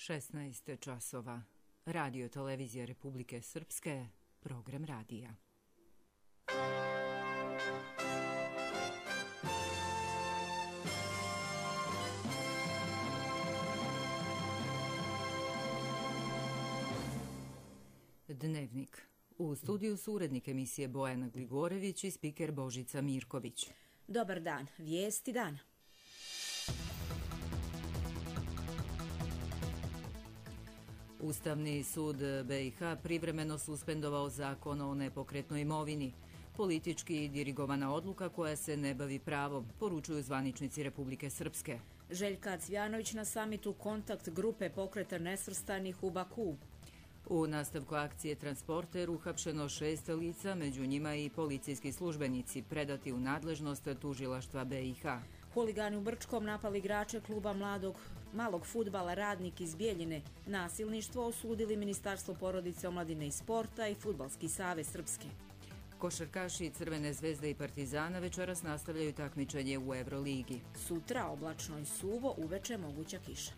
16 časova. Radio televizija Republike Srpske, program radija. Dnevnik. U studiju su urednik emisije Bojana Gligorević i spiker Božica Mirković. Dobar dan, vijesti dana. Ustavni sud BiH privremeno suspendovao zakon o nepokretnoj imovini. Politički dirigovana odluka koja se ne bavi pravom, poručuju zvaničnici Republike Srpske. Željka Cvjanović na samitu kontakt grupe pokreta nesvrstanih u Baku. U nastavku akcije Transporter uhapšeno 6 lica, među njima i policijski službenici, predati u nadležnost tužilaštva BiH. Huligani u Brčkom napali igrače kluba malog fudbala Radnik iz Bijeljine. Nasilništvo osudili Ministarstvo porodice, omladine i sporta i Fudbalski savez Srpske. Košarkaši Crvene zvezde i Partizana večeras nastavljaju takmičenje u Euroligi. Sutra oblačno i suvo, uveče moguća kiša.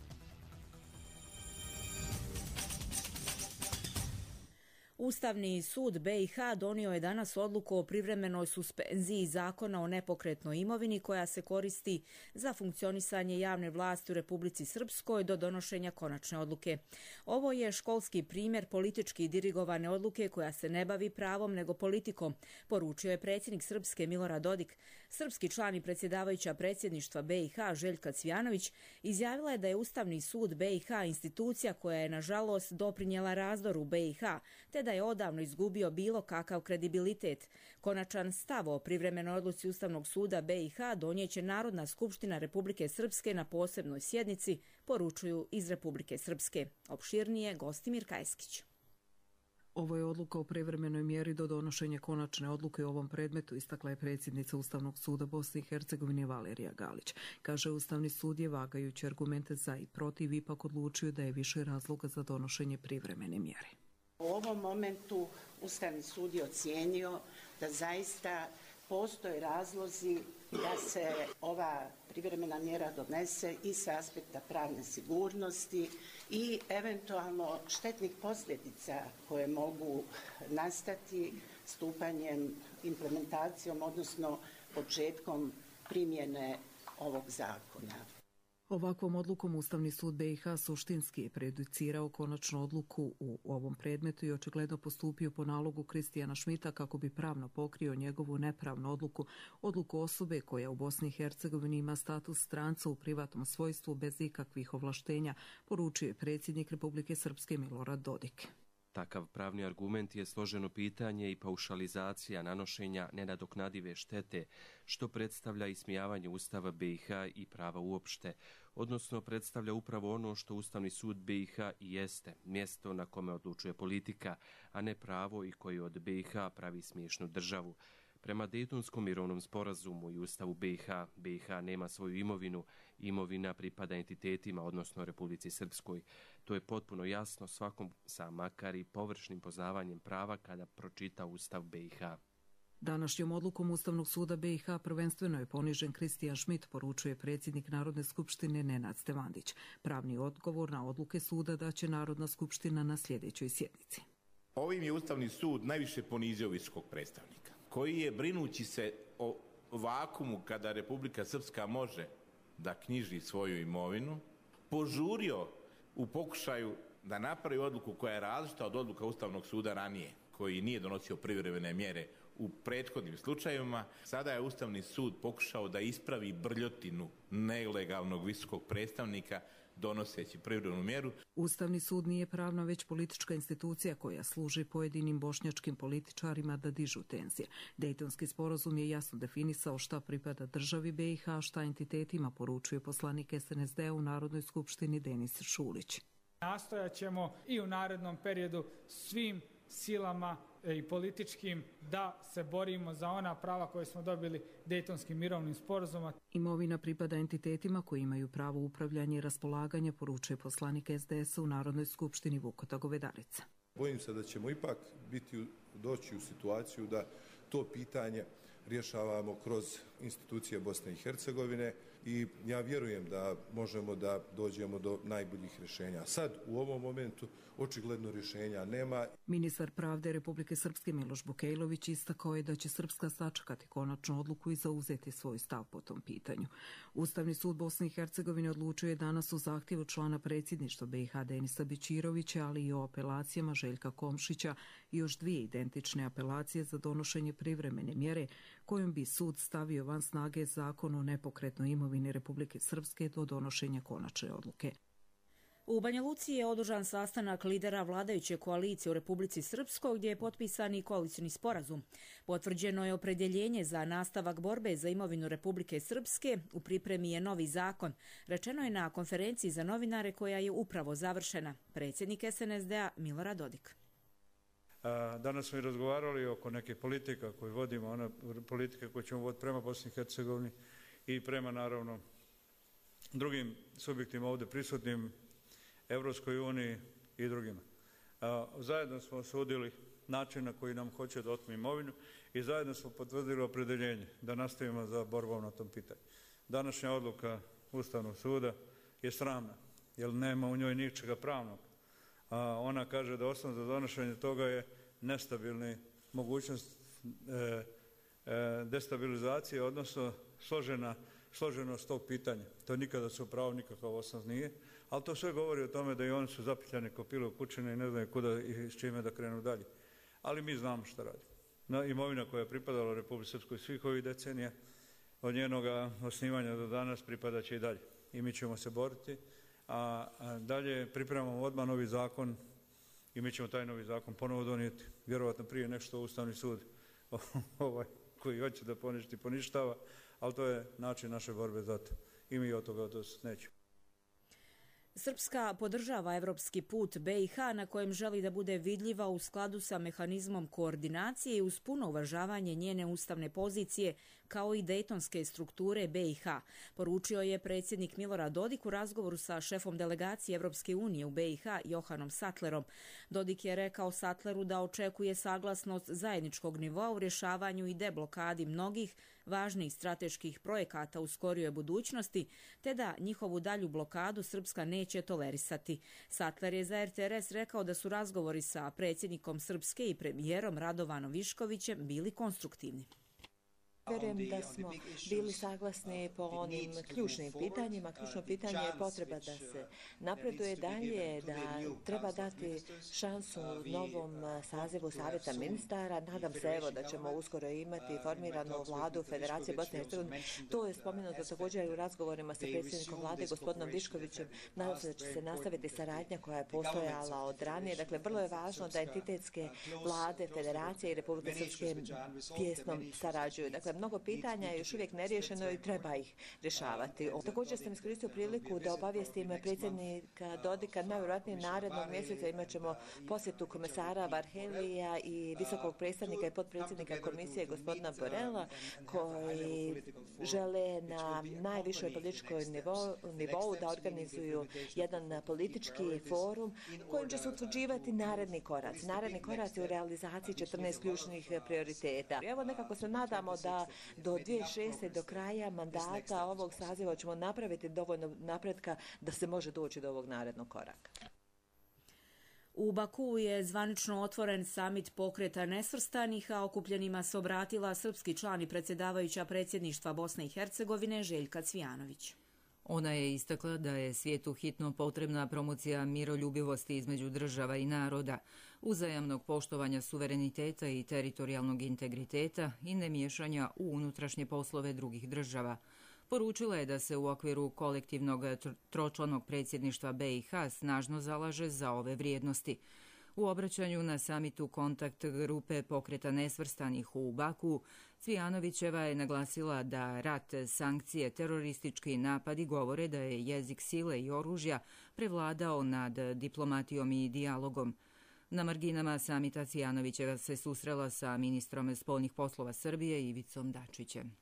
Ustavni sud BiH donio je danas odluku o privremenoj suspenziji zakona o nepokretnoj imovini koja se koristi za funkcionisanje javne vlasti u Republici Srpskoj do donošenja konačne odluke. Ovo je školski primjer politički dirigovane odluke koja se ne bavi pravom nego politikom, poručio je predsjednik Srpske Milorad Dodik. Srpski član i predsjedavajuća predsjedništva BiH Željka Cvjanović izjavila je da je Ustavni sud BiH institucija koja je nažalost doprinijela razdoru BiH, te da je odavno izgubio bilo kakav kredibilitet. Konačan stav o privremenoj odluci Ustavnog suda BiH donijeće Narodna skupština Republike Srpske na posebnoj sjednici, poručuju iz Republike Srpske. Opširnije Gostimir Kajskić. Ovo je odluka o privremenoj mjeri do donošenja konačne odluke o ovom predmetu, istakla je predsjednica Ustavnog suda Bosne i Hercegovine Valerija Galić. Kaže, Ustavni sud je vagajući argumente za i protiv ipak odlučio da je više razloga za donošenje privremene mjere. U ovom momentu Ustavni sud je ocijenio da zaista postoje razlozi da se ova privremena mjera donese i sa aspekta pravne sigurnosti i eventualno štetnih posljedica koje mogu nastati stupanjem, implementacijom, odnosno početkom primjene ovog zakona. Ovakvom odlukom Ustavni sud BiH suštinski je prejudicirao konačnu odluku u ovom predmetu i očigledno postupio po nalogu Kristijana Šmita kako bi pravno pokrio njegovu nepravnu odluku osobe koja u Bosni i Hercegovini ima status stranca u privatnom svojstvu bez ikakvih ovlaštenja, poručio je predsjednik Republike Srpske Milorad Dodik. Takav pravni argument je složeno pitanje i paušalizacija nanošenja nenadoknadive štete, što predstavlja ismijavanje Ustava BiH i prava uopšte, odnosno predstavlja upravo ono što Ustavni sud BiH i jeste, mjesto na kome odlučuje politika, a ne pravo i koji od BiH pravi smiješnu državu. Prema Dejtonskom mirovnom sporazumu i Ustavu BiH nema svoju imovinu, imovina pripada entitetima, odnosno Republici Srpskoj. To je potpuno jasno svakom sa makar i površnim poznavanjem prava kada pročita Ustav BiH. Današnjom odlukom Ustavnog suda BiH prvenstveno je ponižen Kristijan Šmit, poručuje predsjednik Narodne skupštine Nenad Stevandić. Pravni odgovor na odluke suda daće Narodna skupština na sljedećoj sjednici. Ovim je Ustavni sud najviše ponizio visokog predstavnika, koji je, brinući se o vakumu kada Republika Srpska može da knjiži svoju imovinu, požurio u pokušaju da napravi odluku koja je različita od odluka Ustavnog suda ranije, koji nije donosio privremene mjere u prethodnim slučajevima. Sada je Ustavni sud pokušao da ispravi brljotinu nelegalnog visokog predstavnika donoseći privremenu mjeru. Ustavni sud nije pravna već politička institucija koja služi pojedinim bošnjačkim političarima da dižu tenzije. Dejtonski sporazum je jasno definisao šta pripada državi BiH, šta entitetima, poručuje poslanik SNSD u Narodnoj skupštini Denis Šulić. Nastojat ćemo i u narednom periodu svim silama i političkim da se borimo za ona prava koje smo dobili Dejtonskim mirovnim sporazumom. Imovina pripada entitetima koji imaju pravo upravljanja i raspolaganja, poručuje poslanik SDS-a u Narodnoj skupštini Vukota Govedarica. Bojim se da ćemo ipak doći u situaciju da to pitanje rješavamo kroz institucije Bosne i Hercegovine, i ja vjerujem da možemo da dođemo do najboljih rješenja. Sad, u ovom momentu, očigledno rješenja nema. Ministar pravde Republike Srpske Miloš Bukejlović istakao je da će Srpska sačekati konačnu odluku i zauzeti svoj stav po tom pitanju. Ustavni sud Bosne i Hercegovine odlučio je danas o zahtjevu člana predsjedništva BiH Denisa Bećirovića, ali i o apelacijama Željka Komšića i još 2 identične apelacije za donošenje privremene mjere kojom bi sud stavio van snage zakon o nepokretnoj imovini Republike Srpske do donošenja konačne odluke. U Banja Luci je održan sastanak lidera vladajuće koalicije u Republici Srpskoj gdje je potpisan i koalicioni sporazum. Potvrđeno je opredjeljenje za nastavak borbe za imovinu Republike Srpske, u pripremi je novi zakon. Rečeno je na konferenciji za novinare koja je upravo završena. Predsjednik SNSD-a Milorad Dodik. Danas smo i razgovarali oko neke politika koju vodimo, ona politika koju ćemo voditi prema Bosni i Hercegovini i prema naravno drugim subjektima ovdje prisutnim, Evropskoj uniji i drugima. Zajedno smo osudili način na koji nam hoće da otmu imovinu i zajedno smo potvrdili opredjeljenje da nastavimo za borbom na tom pitanju. Današnja odluka Ustavnog suda je sramna, jer nema u njoj ničega pravnog. Ona kaže da osnov za donošenje toga je nestabilni mogućnost destabilizacije, odnosno složenost tog pitanja. To nikada su pravo nikakav osnov nije, ali to sve govori o tome da i oni su zapitljani ko pile u kućine i ne znaju kuda i s čime da krenu dalje. Ali mi znamo šta radimo. Imovina koja je pripadala Republici Srpskoj svih ovih decenija, od njenoga osnivanja do danas pripadat će i dalje. I mi ćemo se boriti, a dalje pripremamo odmah novi zakon i mi ćemo taj novi zakon ponovo donijeti. Vjerovatno prije nešto Ustavni sud koji hoće da poništava, ali to je način naše borbe za to. I mi od toga nećemo. Srpska podržava evropski put BiH na kojem želi da bude vidljiva u skladu sa mehanizmom koordinacije i uz puno uvažavanje njene ustavne pozicije kao i dejtonske strukture BiH, poručio je predsjednik Milorad Dodik u razgovoru sa šefom delegacije Evropske unije u BiH Johanom Sattlerom. Dodik je rekao Sattleru da očekuje saglasnost zajedničkog nivoa u rješavanju i deblokadi mnogih važnih strateških projekata u skorijoj budućnosti, te da njihovu dalju blokadu Srpska neće tolerisati. Sattler je za RTRS rekao da su razgovori sa predsjednikom Srpske i premijerom Radovanom Viškovićem bili konstruktivni. Vjerujem da smo bili saglasni po onim ključnim pitanjima. Ključno pitanje je potreba da se napreduje dalje, da treba dati šansu novom sazivu Savjeta ministara. Nadam se da ćemo uskoro imati formiranu vladu Federacije Bosne i Hercegovine. To je spomenuto također u razgovorima sa predsjednikom vlade gospodinom Viškovićem. Nadam se da će se nastaviti saradnja koja je postojala od ranije. Dakle, vrlo je važno da entitetske vlade Federacije i Republike Srpske tjesno sarađuju. Dakle, mnogo pitanja je još uvijek neriješeno i treba ih rješavati. Također sam iskoristio priliku da obavijestim predsjednika Dodika, najvjerojatnije narednog mjeseca imat ćemo posjetu komesara Varhelija i visokog predstavnika i potpredsjednika komisije gospodina Borela, koji žele na najvišoj političkoj nivou da organizuju jedan politički forum kojim će se utvrđivati naredni korac. Naredni korac je u realizaciji 14 ključnih prioriteta. Evo nekako se nadamo da do 2006. do kraja mandata ovog saziva ćemo napraviti dovoljno napretka da se može doći do ovog narednog koraka. U Bakuu je zvanično otvoren samit pokreta nesvrstanih, a okupljenima se obratila srpski član i predsjedavajuća predsjedništva Bosne i Hercegovine Željka Cvijanović. Ona je istakla da je svijetu hitno potrebna promocija miroljubivosti između država i naroda, uzajamnog poštovanja suvereniteta i teritorijalnog integriteta i nemiješanja u unutrašnje poslove drugih država. Poručila je da se u okviru kolektivnog tročlanog predsjedništva BiH snažno zalaže za ove vrijednosti. U obraćanju na samitu kontakt grupe pokreta nesvrstanih u Baku, Cvijanovićeva je naglasila da rat, sankcije, teroristički napadi govore da je jezik sile i oružja prevladao nad diplomatijom i dijalogom. Na marginama samita Cvijanovićeva se susrela sa ministrom spoljnih poslova Srbije Ivicom Dačićem.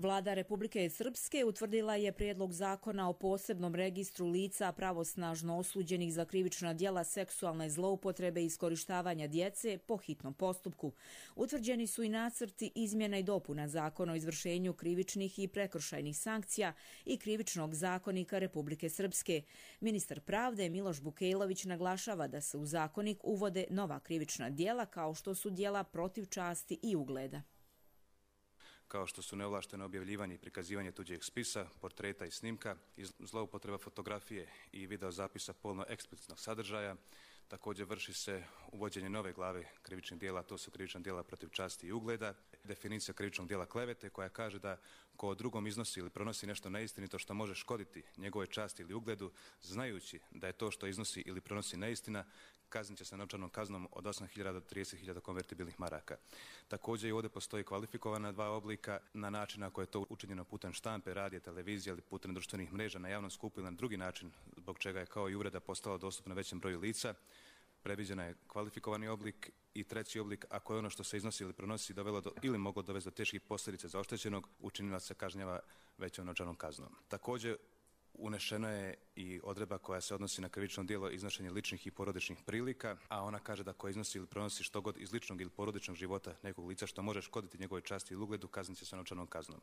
Vlada Republike Srpske utvrdila je prijedlog zakona o posebnom registru lica pravosnažno osuđenih za krivična djela seksualne zloupotrebe i iskorištavanja djece po hitnom postupku. Utvrđeni su i nacrti izmjena i dopuna Zakona o izvršenju krivičnih i prekršajnih sankcija i Krivičnog zakonika Republike Srpske. Ministar pravde Miloš Bukejlović naglašava da se u zakonik uvode nova krivična djela kao što su djela protiv časti i ugleda, kao što su neovlašteno objavljivanje i prikazivanje tuđeg spisa, portreta i snimka, zloupotreba fotografije i videozapisa polno eksplicitnog sadržaja. Također vrši se uvođenje nove glave krivičnih djela, to su krivična djela protiv časti i ugleda, definicija krivičnog djela klevete koja kaže da ko drugom iznosi ili pronosi nešto neistinito što može škoditi njegove časti ili ugledu, znajući da je to što iznosi ili pronosi neistina, kaznit će se novčanom kaznom od 8.000 do 30.000 konvertibilnih maraka. Također i ovdje postoji kvalifikovana dva oblika na način ako je to učinjeno putem štampe, radija, televizije ili putem društvenih mreža na javnom skupu ili na drugi način, zbog čega je kao i uvreda postala dostupna većem broju lica. Predviđena je kvalifikovani oblik i treći oblik ako je ono što se iznosi ili pronosi dovelo do ili moglo dovesti do teških posljedica za oštećenog, učinilac se kažnjava većom novčanom kaznom. Također unešena je i odredba koja se odnosi na krivično djelo iznošenje ličnih i porodičnih prilika, a ona kaže da ko iznosi ili pronosi što god iz ličnog ili porodičnog života nekog lica što može škoditi njegove časti ili ugledu, kaznit će se novčanom kaznom.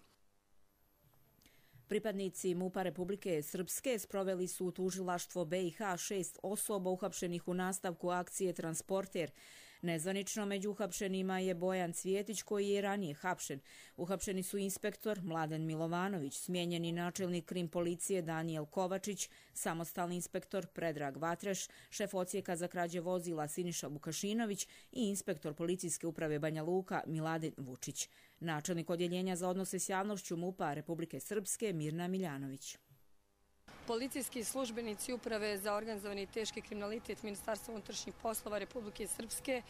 Pripadnici MUP-a Republike Srpske sproveli su u tužilaštvo BiH 6 osoba uhapšenih u nastavku akcije Transporter. Nezvanično među uhapšenima je Bojan Cvjetić koji je ranije hapšen. Uhapšeni su inspektor Mladen Milovanović, smijenjeni načelnik krim policije Danijel Kovačić, samostalni inspektor Predrag Vatreš, šef odsjeka za krađe vozila Siniša Vukašinović i inspektor policijske uprave Banja Luka Miladin Vučić. Načelnik odjeljenja za odnose s javnošću MUP-a Republike Srpske Mirna Miljanović. Policijski službenici Uprave za organizovani i teški kriminalitet Ministarstva unutrašnjih poslova Republike Srpske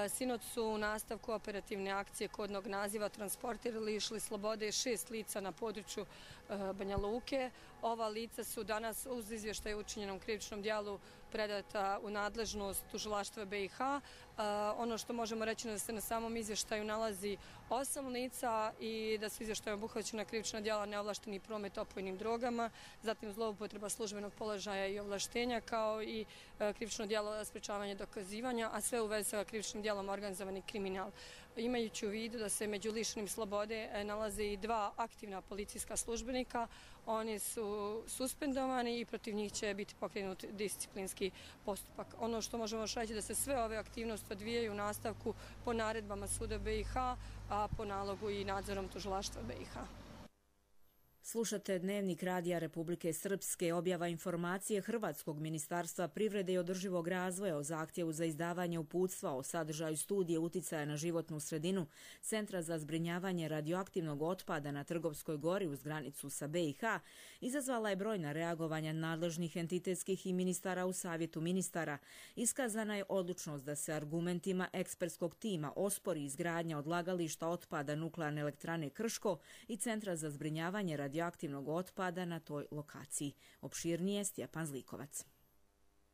sinoć su u nastavku operativne akcije kodnog naziva Transporter lišili slobode 6 lica na području Banja Luke. Ova lica su danas uz izvještaj o učinjenom krivičnom djelu predata u nadležnost tužilaštva BiH. Ono što možemo reći je da se na samom izvještaju nalazi 8 lica i da su izvještajem obuhvaćena krivična djela neovlašteni promet opojnim drogama, zatim zloupotreba službenog položaja i ovlaštenja, kao i krivično djelo sprečavanja dokazivanja, a sve u vezi sa krivičnim djelom organizovani kriminal. Imajući u vidu da se među lišenim slobode nalaze i 2 aktivna policijska službenika, oni su suspendovani i protiv njih će biti pokrenut disciplinski postupak. Ono što možemo reći da se sve ove aktivnosti odvijaju u nastavku po naredbama Suda BiH, a po nalogu i nadzorom tužilaštva BiH. Slušate Dnevnik Radija Republike Srpske. Objava informacije Hrvatskog ministarstva privrede i održivog razvoja o zahtjevu za izdavanje uputstva o sadržaju studije uticaja na životnu sredinu Centra za zbrinjavanje radioaktivnog otpada na Trgovskoj gori uz granicu sa BiH izazvala je brojna reagovanja nadležnih entitetskih i ministara u Savjetu ministara. Iskazana je odlučnost da se argumentima ekspertskog tima ospori izgradnja odlagališta otpada Nuklearne elektrane Krško i Centra za zbrinjavanje radioaktivnog otpada na toj lokaciji. Opširnije Stjepan Zlikovac.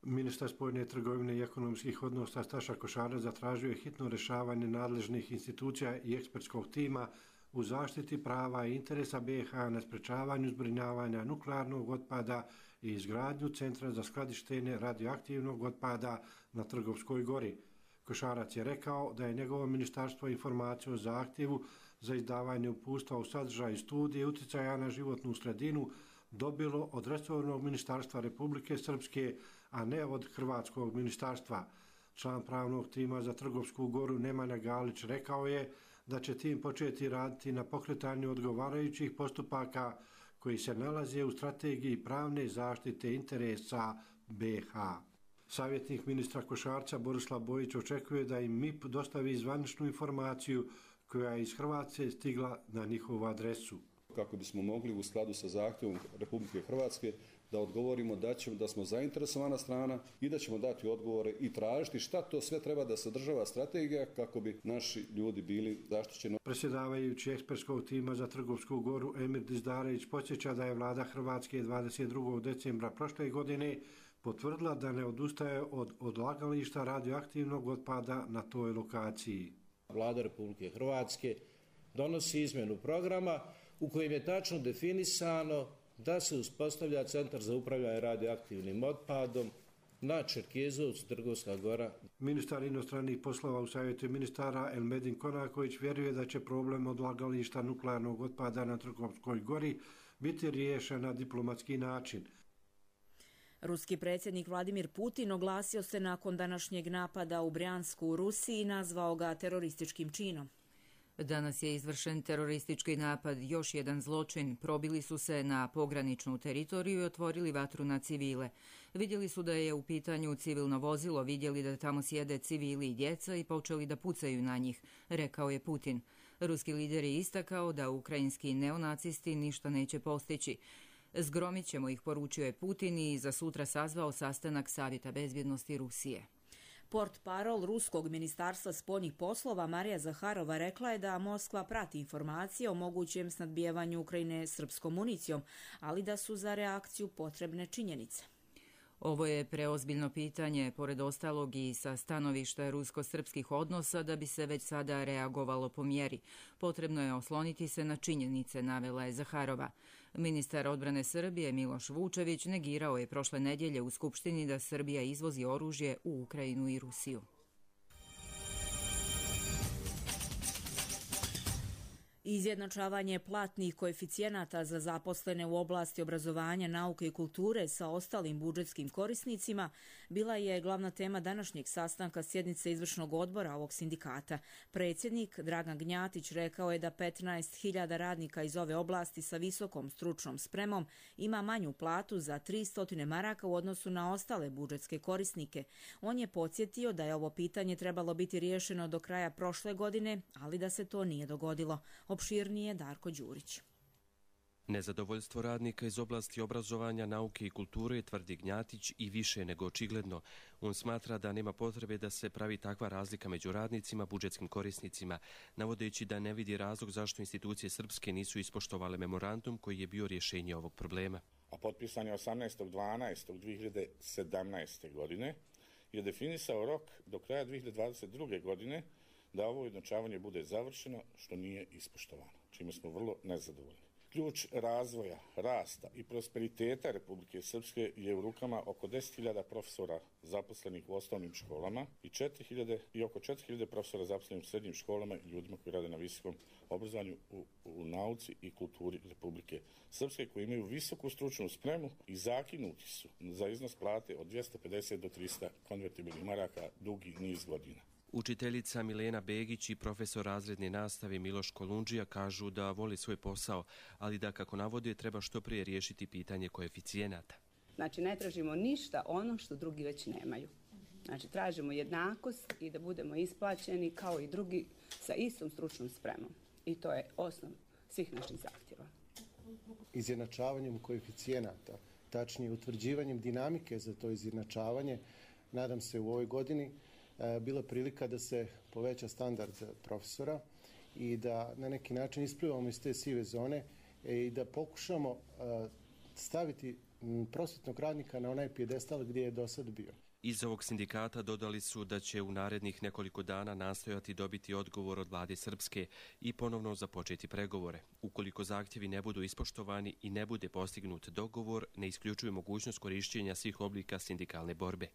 Ministar spoljne trgovine i ekonomskih odnosa Staša Košarac zatražio je hitno rješavanje nadležnih institucija i ekspertskog tima u zaštiti prava i interesa BiH na sprečavanju zbrinjavanja nuklearnog otpada i izgradnju Centra za skladištenje radioaktivnog otpada na Trgovskoj gori. Košarac je rekao da je njegovo ministarstvo informaciju o zahtjevu za izdavanje uputstva u sadržaju studije uticaja na životnu sredinu dobilo od resornog ministarstva Republike Srpske, a ne od hrvatskog ministarstva. Član pravnog tima za Trgovsku goru Nemanja Galić rekao je da će tim početi raditi na pokretanju odgovarajućih postupaka koji se nalaze u strategiji pravne zaštite interesa BiH. Savjetnik ministra Košarca Borislav Bojić očekuje da im MIP dostavi zvaničnu informaciju koja je iz Hrvatske stigla na njihovu adresu. Kako bismo mogli u skladu sa zahtjevom Republike Hrvatske da odgovorimo da smo zainteresovana strana i da ćemo dati odgovore i tražiti šta to sve treba da sadržava strategija kako bi naši ljudi bili zaštićeni. Predsjedavajući ekspertskog tima za Trgovsku goru Emir Dizdarević podsjeća da je vlada Hrvatske 22. decembra prošle godine potvrdila da ne odustaje od odlagališta radioaktivnog otpada na toj lokaciji. Vlada Republike Hrvatske donosi izmjenu programa u kojem je tačno definisano da se uspostavlja centar za upravljanje radioaktivnim otpadom na Čerkezovcu, Trgovska gora. Ministar inostranih poslova u Savjetu ministara Elmedin Konaković vjeruje da će problem odlagališta nuklearnog otpada na Trgovskoj gori biti riješen na diplomatski način. Ruski predsjednik Vladimir Putin oglasio se nakon današnjeg napada u Brjansku u Rusiji i nazvao ga terorističkim činom. Danas je izvršen teroristički napad, još jedan zločin. Probili su se na pograničnu teritoriju i otvorili vatru na civile. Vidjeli su da je u pitanju civilno vozilo, vidjeli da tamo sjede civili i djeca i počeli da pucaju na njih, rekao je Putin. Ruski lider je istakao da ukrajinski neonacisti ništa neće postići. Zgromit ćemo ih, poručio je Putin i za sutra sazvao sastanak Savjeta bezbjednosti Rusije. Portparol Ruskog ministarstva spoljnih poslova Marija Zaharova rekla je da Moskva prati informacije o mogućem snadbijevanju Ukrajine srpskom municijom, ali da su za reakciju potrebne činjenice. Ovo je preozbiljno pitanje, pored ostalog i sa stanovišta rusko-srpskih odnosa, da bi se već sada reagovalo po mjeri. Potrebno je osloniti se na činjenice, navela je Zaharova. Ministar odbrane Srbije Miloš Vučević negirao je prošle nedjelje u Skupštini da Srbija izvozi oružje u Ukrajinu i Rusiju. Izjednačavanje platnih koeficijenata za zaposlene u oblasti obrazovanja, nauke i kulture sa ostalim budžetskim korisnicima bila je glavna tema današnjeg sastanka sjednice izvršnog odbora ovog sindikata. Predsjednik Dragan Gnjatić rekao je da 15.000 radnika iz ove oblasti sa visokom stručnom spremom ima manju platu za 300 maraka u odnosu na ostale budžetske korisnike. On je podsjetio da je ovo pitanje trebalo biti riješeno do kraja prošle godine, ali da se to nije dogodilo. Opširnije Darko Đurić. Nezadovoljstvo radnika iz oblasti obrazovanja, nauke i kulture, tvrdi Gnjatić, i više nego očigledno. On smatra da nema potrebe da se pravi takva razlika među radnicima, budžetskim korisnicima, navodeći da ne vidi razlog zašto institucije srpske nisu ispoštovale memorandum koji je bio rješenje ovog problema. A potpisan je 18.12.2017. godine je definisao rok do kraja 2022. godine da ovo ujednačavanje bude završeno, što nije ispoštovano, čime smo vrlo nezadovoljni. Ključ razvoja, rasta i prosperiteta Republike Srpske je u rukama oko 10.000 profesora zaposlenih u osnovnim školama i oko 4.000 profesora zaposlenih u srednjim školama i ljudima koji rade na visokom obrazovanju u nauci i kulturi Republike Srpske, koji imaju visoku stručnu spremu i zakinuti su za iznos plate od 250 do 300 konvertibilnih maraka dugi niz godina. Učiteljica Milena Begić i profesor razredne nastave Miloš Kolundžija kažu da voli svoj posao, ali da, kako navode, treba što prije riješiti pitanje koeficijenata. Znači, ne tražimo ništa ono što drugi već nemaju. Znači, tražimo jednakost i da budemo isplaćeni kao i drugi sa istom stručnom spremom. I to je osnov svih naših zahtjeva. Izjednačavanjem koeficijenata, tačnije utvrđivanjem dinamike za to izjednačavanje, nadam se u ovoj godini bila prilika da se poveća standard profesora i da na neki način isplivamo iz te sive zone i da pokušamo staviti prosvetnog radnika na onaj pijedestal gdje je do sad bio. Iz ovog sindikata dodali su da će u narednih nekoliko dana nastojati dobiti odgovor od vlade Srpske i ponovno započeti pregovore. Ukoliko zahtjevi ne budu ispoštovani i ne bude postignut dogovor, ne isključuje mogućnost korišćenja svih oblika sindikalne borbe.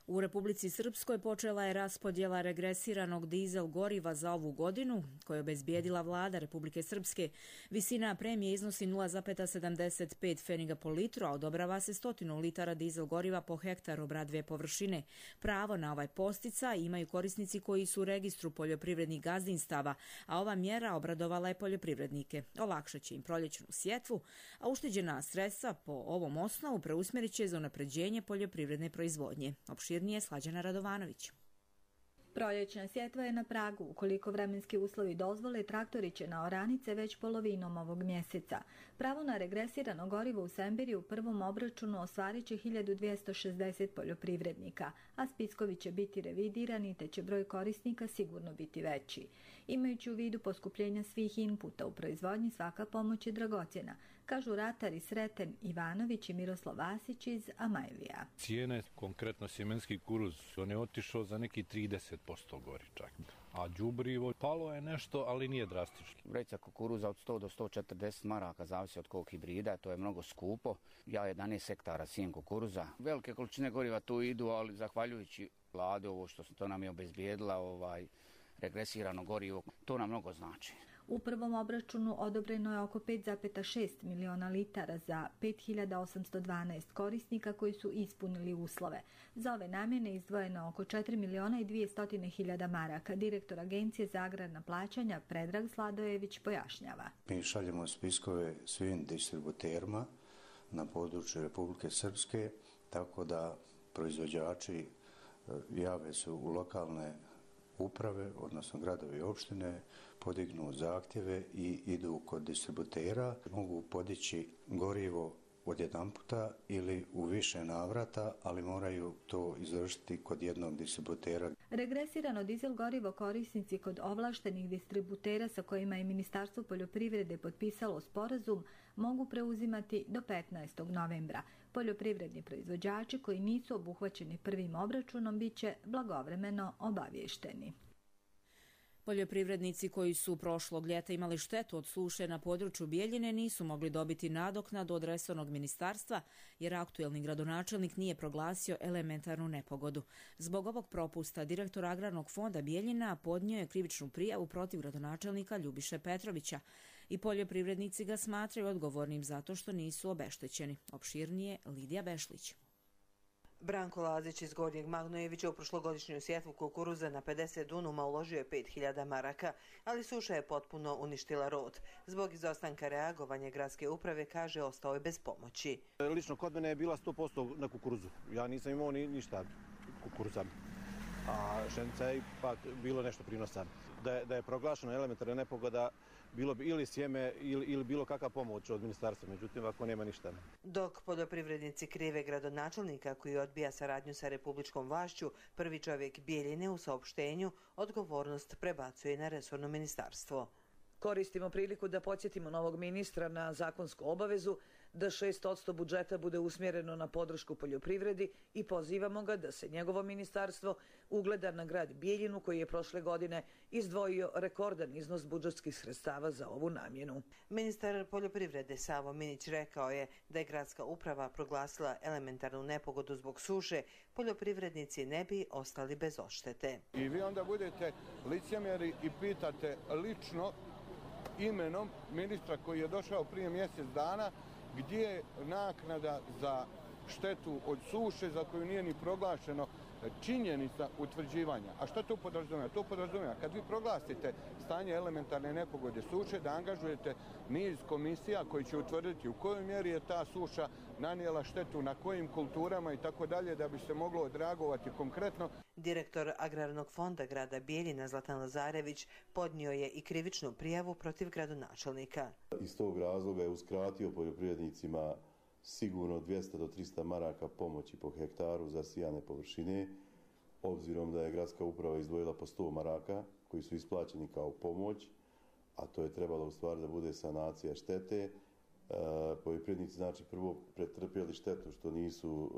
U Republici Srpskoj počela je raspodjela regresiranog dizel goriva za ovu godinu, koju je obezbijedila vlada Republike Srpske. Visina premije iznosi 0,75 pfeniga po litru, a odobrava se 100 litara dizel goriva po hektaru obradive površine. Pravo na ovaj posticaj imaju korisnici koji su u registru poljoprivrednih gazdinstava, a ova mjera obradovala je poljoprivrednike. Olakšat će im proljećnu sjetvu, a ušteđena sredstva po ovom osnovu preusmjerit će za unapređenje poljoprivredne proizvodnje. Nije Slađana Radovanović. Proljećna sjetva je na pragu. Ukoliko vremenski uslovi dozvole, traktori će na oranice već polovinom ovog mjeseca. Pravo na regresirano gorivo u Sembiri u prvom obračunu ostvarit će 1260 poljoprivrednika, a spiskovi će biti revidirani te će broj korisnika sigurno biti veći. Imajući u vidu poskupljenja svih inputa u proizvodnji, svaka pomoć je dragocjena, kažu ratari Sreten Ivanović i Miroslav Vasić iz Amajlija. Cijene, konkretno sjemenski kukuruz, on je otišao za neki 30% gori čak. A đubrivo palo je nešto, ali nije drastično. Vreća kukuruza od 100 do 140 maraka, zavisi od kog hibrida, to je mnogo skupo. Ja 11 hektara sijem kukuruza. Velike količine goriva tu idu, ali zahvaljujući vladi, ovo što to nam je obezbijedila, regresirano gorivo, to nam mnogo znači. U prvom obračunu odobreno je oko 5,6 miliona litara za 5812 korisnika koji su ispunili uslove. Za ove namjene izdvojeno oko 4 miliona i 200 hiljada maraka. Direktor Agencije za agrarna plaćanja Predrag Sladojević pojašnjava. Mi šaljemo spiskove svim distributerima na području Republike Srpske, tako da proizvođači jave se u lokalne uprave, odnosno gradovi i opštine, podignu zahtjeve i idu kod distributera. Mogu podići gorivo odjedanputa ili u više navrata, ali moraju to izvršiti kod jednog distributera. Regresirano dizel gorivo korisnici kod ovlaštenih distributera sa kojima je Ministarstvo poljoprivrede potpisalo sporazum mogu preuzimati do 15. novembra. Poljoprivredni proizvođači koji nisu obuhvaćeni prvim obračunom bit će blagovremeno obavješteni. Poljoprivrednici koji su prošlog ljeta imali štetu od suše na području Bijeljine nisu mogli dobiti nadoknadu od resornog ministarstva jer aktuelni gradonačelnik nije proglasio elementarnu nepogodu. Zbog ovog propusta direktor Agrarnog fonda Bijeljina podnio je krivičnu prijavu protiv gradonačelnika Ljubiše Petrovića i poljoprivrednici ga smatraju odgovornim zato što nisu obeštećeni. Opširnije Lidija Bešlić. Branko Lazić iz Gornjeg Magnojevića u prošlogodišnju sjetvu kukuruza na 50 dunuma uložio je 5000 maraka, ali suša je potpuno uništila rod. Zbog izostanka reagovanja gradske uprave, kaže, ostao je bez pomoći. Lično kod mene je bila 100% na kukuruzu. Ja nisam imao ništa kukuruza, a pšenica je ipak bilo nešto prinosa. Da je proglašena elementarna nepogoda, bilo bi ili sjeme ili bilo kakva pomoć od ministarstva, međutim ako nema ništa. Dok poljoprivrednici krive gradonačelnika koji odbija saradnju sa republičkom vlašću, prvi čovjek Bijeljine u saopštenju odgovornost prebacuje na resorno ministarstvo. Koristimo priliku da podsjetimo novog ministra na zakonsku obavezu da 6% budžeta bude usmjereno na podršku poljoprivredi i pozivamo ga da se njegovo ministarstvo ugleda na grad Bijeljinu koji je prošle godine izdvojio rekordan iznos budžetskih sredstava za ovu namjenu. Ministar poljoprivrede Savo Minić rekao je da je gradska uprava proglasila elementarnu nepogodu zbog suše, poljoprivrednici ne bi ostali bez odštete. I vi onda budete licemjeri i pitate lično imenom ministra koji je došao prije mjesec dana gdje je naknada za štetu od suše za koju nije ni proglašeno činjenica utvrđivanja. A što to podrazumijeva? To podrazumijeva kad vi proglasite stanje elementarne nepogode suše da angažujete niz komisija koji će utvrditi u kojoj mjeri je ta suša nanijela štetu, na kojim kulturama i tako dalje da bi se moglo odreagovati konkretno. Direktor Agrarnog fonda grada Bijeljina Zlatan Lazarević podnio je i krivičnu prijavu protiv gradonačelnika. Iz tog razloga je uskratio poljoprivrednicima sigurno 200 do 300 maraka pomoći po hektaru za sijane površine, obzirom da je gradska uprava izdvojila po 100 maraka koji su isplaćeni kao pomoć, a to je trebalo u stvari da bude sanacija štete. Poljoprivrednici znači prvo pretrpjeli štetu što nisu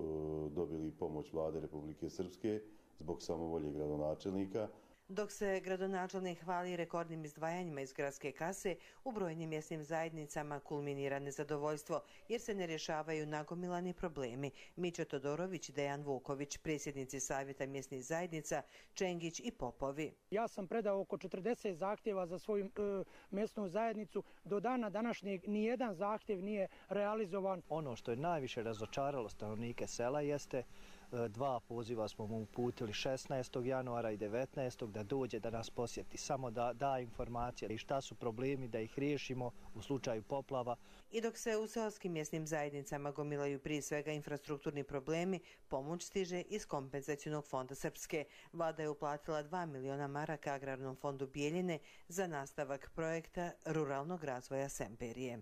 dobili pomoć vlade Republike Srpske zbog samovolje gradonačelnika. Dok se gradonačelnik hvali rekordnim izdvajanjima iz gradske kase, u brojnim mjesnim zajednicama kulminira nezadovoljstvo jer se ne rješavaju nagomilani problemi. Mićo Todorović, Dejan Vuković, predsjednici Savjeta mjesnih zajednica, Čengić i Popovi. Ja sam predao oko 40 zahtjeva za svoju mjesnu zajednicu. Do dana današnjeg nijedan zahtjev nije realizovan. Ono što je najviše razočaralo stanovnike sela jeste 2 poziva smo mu uputili 16. januara i 19. da dođe da nas posjeti, samo da da informacije i šta su problemi, da ih riješimo u slučaju poplava. I dok se u seoskim mjesnim zajednicama gomilaju prije svega infrastrukturni problemi, pomoć stiže iz kompenzacionog fonda Srpske. Vlada je uplatila 2 miliona maraka Agrarnom fondu Bijeljine za nastavak projekta ruralnog razvoja Semperije.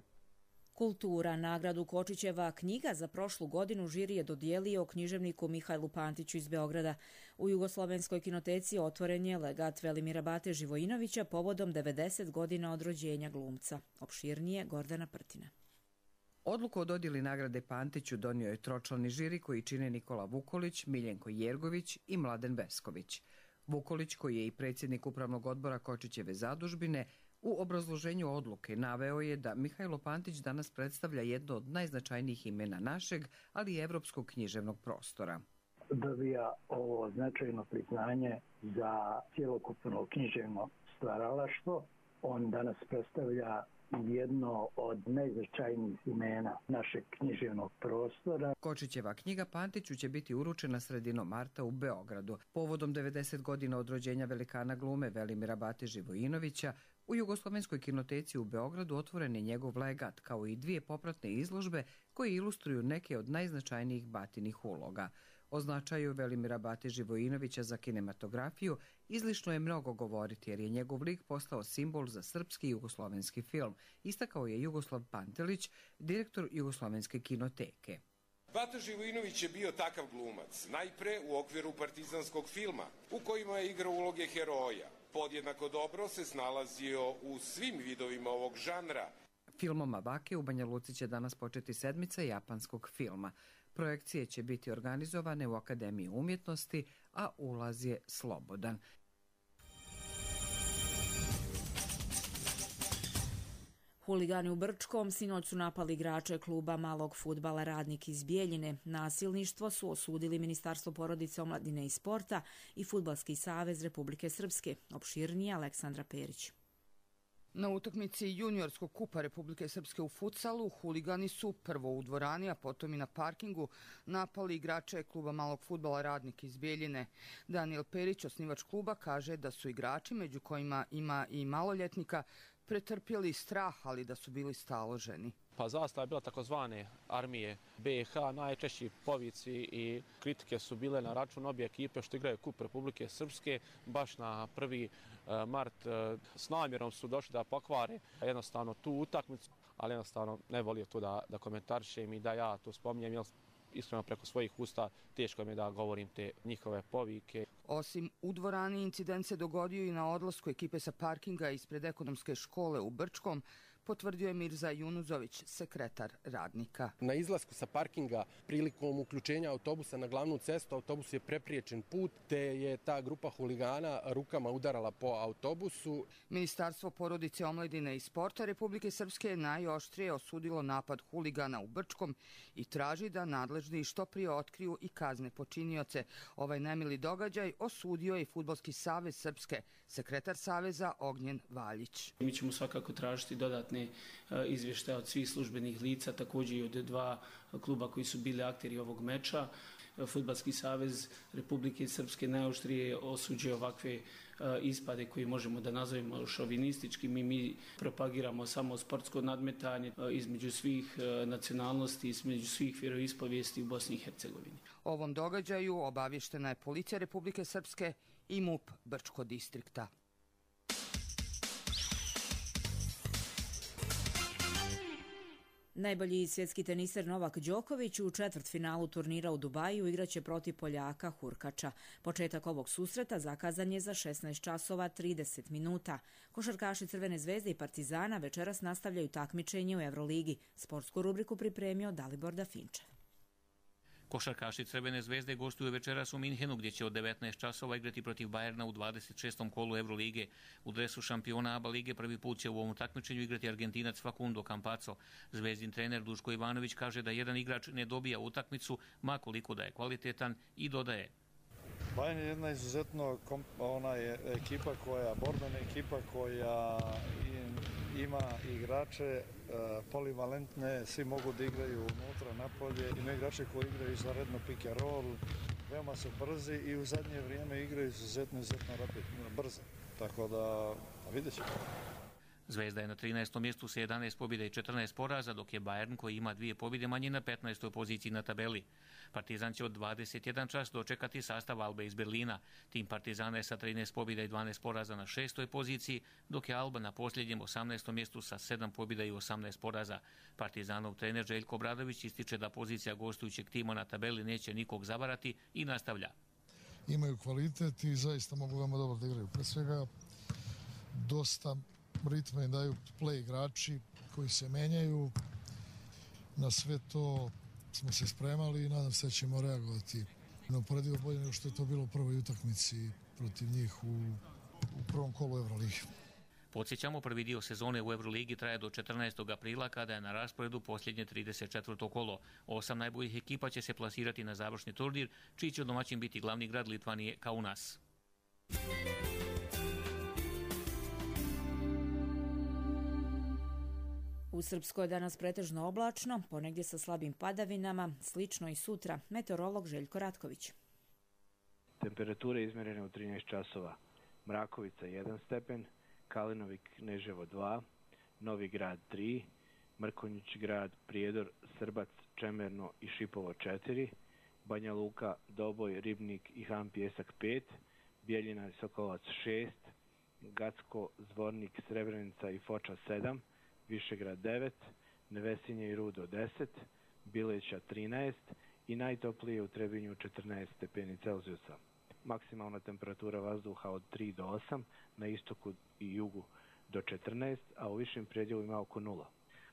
Kultura. Nagradu Kočićeva knjiga za prošlu godinu žiri je dodijelio književniku Mihajlu Pantiću iz Beograda. U Jugoslovenskoj kinoteci otvoren je legat Velimira Bate Živojinovića povodom 90 godina od rođenja glumca. Opširnije Gordana Prtina. Odluku o dodjeli nagrade Pantiću donio je tročlani žiri koji čine Nikola Vukolić, Miljenko Jergović i Mladen Vesković. Vukolić, koji je i predsjednik upravnog odbora Kočićeve zadužbine, u obrazloženju odluke naveo je da Mihajlo Pantić danas predstavlja jedno od najznačajnijih imena našeg, ali i evropskog književnog prostora. Dobija ovo značajno priznanje za cjelokupno književno stvaralaštvo. On danas predstavlja jedno od najznačajnijih imena našeg književnog prostora. Kočićeva knjiga Pantiću će biti uručena sredinom marta u Beogradu. Povodom 90 godina od rođenja velikana glume Velimira Bate Živojinovića, u Jugoslovenskoj kinoteci u Beogradu otvoren je njegov legat, kao i 2 popratne izložbe koje ilustruju neke od najznačajnijih Batinih uloga. O značaju Velimira Bate Živojinovića za kinematografiju izlišno je mnogo govoriti, jer je njegov lik postao simbol za srpski i jugoslovenski film, istakao je Jugoslav Pantelić, direktor Jugoslovenske kinoteke. Bata Živojinović je bio takav glumac, najpre u okviru partizanskog filma, u kojima je igrao uloge heroja. Podjednako dobro se snalazio u svim vidovima ovog žanra. Filmom Avake u Banja Luci će danas početi sedmica japanskog filma. Projekcije će biti organizovane u Akademiji umjetnosti, a ulaz je slobodan. Huligani u Brčkom sinoć su napali igrače kluba malog fudbala Radnik iz Bijeljine. Nasilništvo su osudili Ministarstvo porodice, omladine i sporta i Fudbalski savez Republike Srpske. Opširnije Aleksandra Perić. Na utakmici juniorskog kupa Republike Srpske u futsalu huligani su prvo u dvorani, a potom i na parkingu napali igrače kluba malog fudbala Radnik iz Bijeljine. Daniel Perić, osnivač kluba, kaže da su igrači, među kojima ima i maloljetnika, pretrpjeli strah, ali da su bili staloženi. Pa zastava je bila takozvane armije BiH, najčešći povici i kritike su bile na račun obje ekipe što igraju kup Republike Srpske. Baš na 1. mart s namjerom su došli da pokvare jednostavno tu utakmicu, ali jednostavno ne volio to da komentarišem i da ja to spominjem, jer iskreno preko svojih usta teško mi je da govorim te njihove povike. Osim u dvorani, incident se dogodio i na odlasku ekipe sa parkinga ispred ekonomske škole u Brčkom, potvrdio je Mirza Junuzović, sekretar Radnika. Na izlasku sa parkinga prilikom uključenja autobusa na glavnu cestu, autobus je prepriječen put, te je ta grupa huligana rukama udarala po autobusu. Ministarstvo porodice, omladine i sporta Republike Srpske najoštrije osudilo napad huligana u Brčkom i traži da nadležni što prije otkriju i kazne počinioce. Ovaj nemili događaj osudio je i Fudbalski savez Srpske, sekretar saveza Ognjen Valjić. Mi ćemo svakako tražiti dodatne izvještaje od svih službenih lica, također i od 2 kluba koji su bili akteri ovog meča. Fudbalski savez Republike Srpske najoštrije osuđuje ovakve ispade koji možemo da nazovemo šovinističkim i mi propagiramo samo sportsko nadmetanje između svih nacionalnosti, između svih vjeroispovijesti u Bosni i Hercegovini. O ovom događaju obavještena je Policija Republike Srpske i MUP Brčko distrikta. Najbolji svjetski teniser Novak Đoković u četvrtfinalu turnira u Dubaju igraće protiv Poljaka Hurkača. Početak ovog susreta zakazan je za 16 časova 30 minuta. Košarkaši Crvene zvezde i Partizana večeras nastavljaju takmičenje u Evroligi. Sportsku rubriku pripremio Dalibor Dafinčev. Košarkaši Crvene zvezde gostuju večeras u Minhenu, gdje će od 19 časova igrati protiv Bajerna u 26. kolu Evrolige. U dresu šampiona ABA lige prvi put će u ovom takmičenju igrati Argentinac Facundo Campazzo. Zvezdin trener Duško Ivanović kaže da jedan igrač ne dobija utakmicu, ma koliko da je kvalitetan, i dodaje: Bayern je jedna izuzetno ekipa borbena ekipa koja ima igrače polivalentne, svi mogu da igraju unutra, napolje, ima igrače koji igraju izvanredno pick and roll, veoma su brzi i u zadnje vrijeme igraju izuzetno brzo. Tako da vidjet ćemo. Zvezda je na 13. mjestu sa 11 pobjeda i 14 poraza, dok je Bayern, koji ima 2 pobjede manje, na 15. poziciji na tabeli. Partizan će od 21 čas dočekati sastav Albe iz Berlina. Tim Partizana je sa 13 pobjeda i 12 poraza na 6. poziciji, dok je Alba na posljednjem 18. mjestu sa 7 pobjeda i 18 poraza. Partizanov trener Željko Obradović ističe da pozicija gostujućeg tima na tabeli neće nikog zavarati i nastavlja. Imaju kvalitet i zaista mogu veoma dobro da igraju. Pre svega, dosta ritma im daju play igrači koji se menjaju. Na sve to smo se spremali i nadam se da ćemo reagovati neuporedivo bolje nego što je to bilo u prvoj utakmici protiv njih u prvom kolu Euroligi. Podsjećamo, prvi dio sezone u Euroligi traje do 14. aprila, kada je na rasporedu posljednje 34. kolo. 8 najboljih ekipa će se plasirati na završni turnir, čiji će domaćin biti glavni grad Litvanije Kaunas. U Srpskoj je danas pretežno oblačno, ponegdje sa slabim padavinama, slično i sutra. Meteorolog Željko Ratković. Temperature izmjerene u 13 časova. Mrakovica 1 stepen, Kalinovik Kneževo 2, Novi Grad 3, Mrkonjić Grad, Prijedor, Srbac, Čemerno i Šipovo 4, Banja Luka, Doboj, Ribnik i Han Pjesak 5, Bijeljina i Sokolac 6, Gacko, Zvornik, Srebrenica i Foča 7, Višegrad 9, Nevesinje i Rudo 10, Bileća 13 i najtoplije u Trebinju 14 stepeni Celzijusa. Maksimalna temperatura vazduha od 3 do 8, na istoku i jugu do 14, a u višim predjelima oko 0.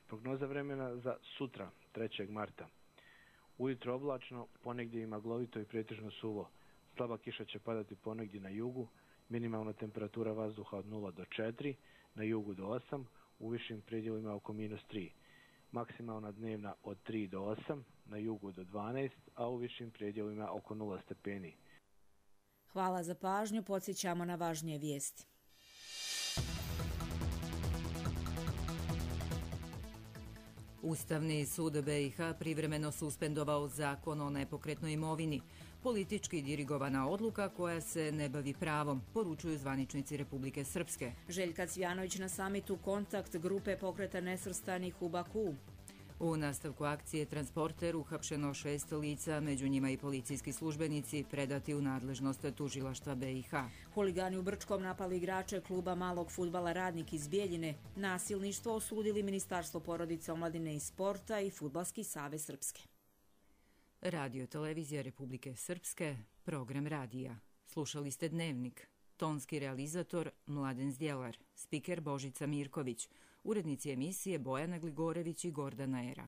Prognoza vremena za sutra, 3. marta. Ujutro oblačno, ponegdje i maglovito i pretežno suvo. Slaba kiša će padati ponegdje na jugu, minimalna temperatura vazduha od 0 do 4, na jugu do 8, u višim predjelima oko -3. Maksimalna dnevna od 3 do 8, na jugu do 12, a u višim predjelima oko 0 stepeni. Hvala za pažnju, podsjećamo na važnije vijesti. Ustavni sud BiH privremeno suspendovao zakon o nepokretnoj imovini, politički dirigovana odluka koja se ne bavi pravom, poručuju zvaničnici Republike Srpske. Željka Cvjanović na samitu Kontakt grupe pokreta nesvrstanih u Bakuu. U nastavku akcije Transporter uhapšeno 6 lica, među njima i policijski službenici, predati u nadležnost tužilaštva BiH. Huligani u Brčkom napali igrače kluba malog fudbala Radnik iz Bijeljine. Nasilništvo osudili Ministarstvo porodice, omladine i sporta i Fudbalski savez Srpske. Radio televizija Republike Srpske, program radija. Slušali ste Dnevnik. Tonski realizator Mladen Zdjelar, spiker Božica Mirković, urednici emisije Bojana Gligorević i Gordana Era.